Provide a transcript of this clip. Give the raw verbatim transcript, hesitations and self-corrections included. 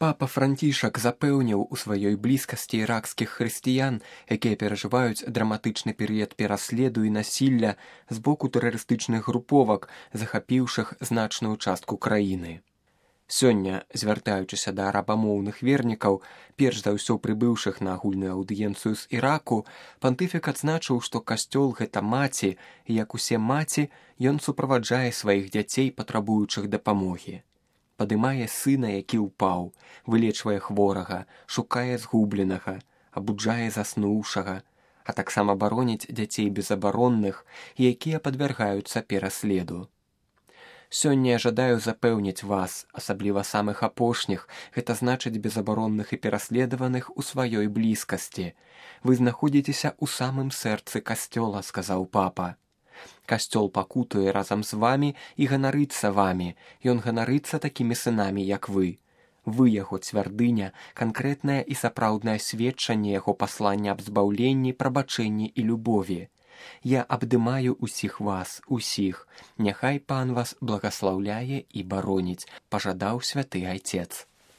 Папа Францішак запэўніў у сваёй блізкасці іракскіх хрысціян, якія перажываюць драматычны перыяд пераследу і насілля з боку тэрарыстычных груповак, захапіўшых значную частку краіны. Сёння, звяртаючыся да арабамоўных вернікаў, перш за ўсё прыбыўшых на агульную аўдыенцыю з Іраку, пантыфік адзначыў, што касцёл — гэта маці, і як усе маці, ён суправаджае сваіх дзяцей, патрабуючых дапамогі. Падымае сына, які ўпаў, вылечвае хворага, шукае згубленага, абуджае заснуўшага, а таксама бароніць дзяцей безабаронных, якія падвяргаюцца пераследу. Сёння я жадаю запэўніць вас, асабліва самых апошніх, гэта значыць безабаронных і пераследаваных у сваёй блізкасці. Вы знаходзіцеся ў самым сэрцы касцёла, сказаў папа. Касцёл пакутуе разам з вамі і ганарыцца вамі, ён ганарыцца такімі сынамі, як вы. Вы яго цвярдыня, канкрэтнае і сапраўднае сведчанне яго паслання аб збаўленні, прабачэнні і любові. Я абдымаю усіх вас, усіх. Няхай пан вас благаслаўляе і бароніць, пажадаў святы айцец.